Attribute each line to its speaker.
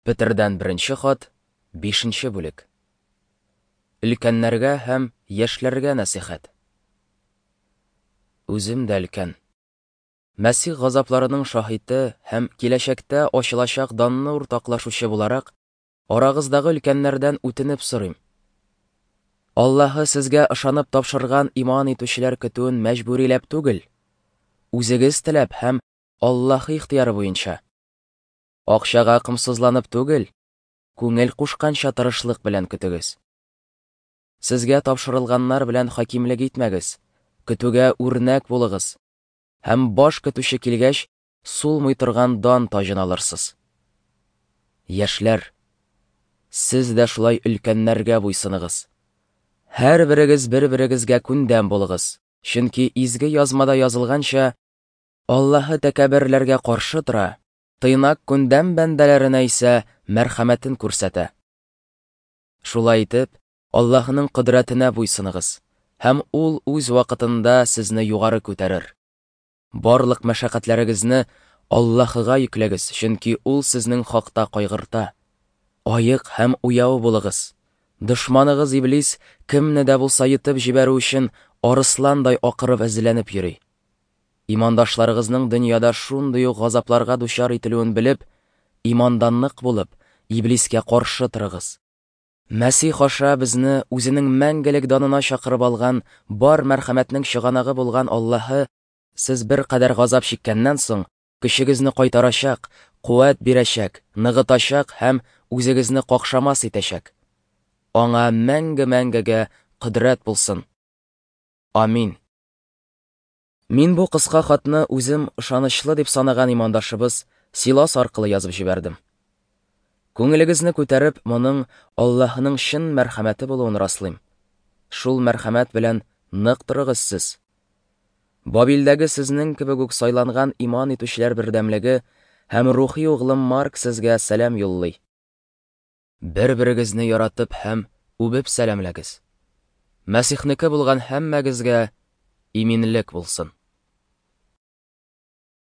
Speaker 1: Петердән беренче хат, бишенче бүлек. Өлкәннәргә һәм яшьләргә нәсыйхәт. Үзем дә өлкән. Мәсих газапларының шаһиты һәм киләчәктә ачылачак данны уртаклашучы буларак, арагыздагы өлкәннәрдән үтенеп сорыйм. Аллаһы сезгә ышанып тапшырган иман итүчеләр көтүен мәҗбүриләп түгел, үзегез теләп һәм Аллаһы ихтыяры буенча. Акчага комсызланып түгел, күңел кушканча тырышлык белән көтегез. Сезгә тапшырылганнар белән хакимлек итмәгез, көтүгә үрнәк булыгыз. Һәм баш көтүче килгәч, сулмый торган дан таҗын алырсыз. Яшьләр, сез дә шулай өлкәннәргә буйсыныгыз. Һәрберегез бер-берегезгә күндәм булыгыз, чөнки Изге Язмада язылганча, Аллаһы тәкәбберләргә каршы тора, тыйнак күндәм бәндәләренә исә мәрхәмәтен күрсәтә. Шулай итеп, Аллаһының кодрәтенә буйсыныгыз, һәм ул үз вакытында сезне югары күтәрер. Барлык мәшәкатьләрегезне Аллаһыга йөкләгез, чөнки ул сезнең хакта кайгырта. Аек һәм уяу булыгыз. Дошманыгыз Иблис кемне дә булса йотып җибәрү өчен арысландай акырып эзләнеп йөри. Имандашларыгызның дөньяда шундый ук газапларга дучар ителүен белеп, иманда нык булып, Иблискә каршы торыгыз. Мәсих аша безне үзенең мәңгелек данына чакырып алган бар мәрхәмәтнең чыганагы булган Аллаһы сез беркадәр газап чиккәннән соң, көчегезне кайтарачак, куәт бирәчәк, ныгытачак һәм үзегезне какшамас итәчәк. Аңа мәңге-мәңгегә кодрәт булсын. Амин. Мин бу кыска хатны үзем ышанычлы дип санаган имандашыбыз Силас аркылы язып җибәрдем. Күңелегезне күтәреп, моның Аллаһының чын мәрхәмәте булуын раслыйм. Шул мәрхәмәт белән нык торыгыз сез. Бабилдәге сезнең кебек үк сайланган иман итүчеләр бердәмлеге һәм рухи углым Марк сезгә сәлам юллый. Бер-берегезне яратып һәм үбеп сәламләгез. Мәсихнеке булган һәммәгезгә иминлек булсын.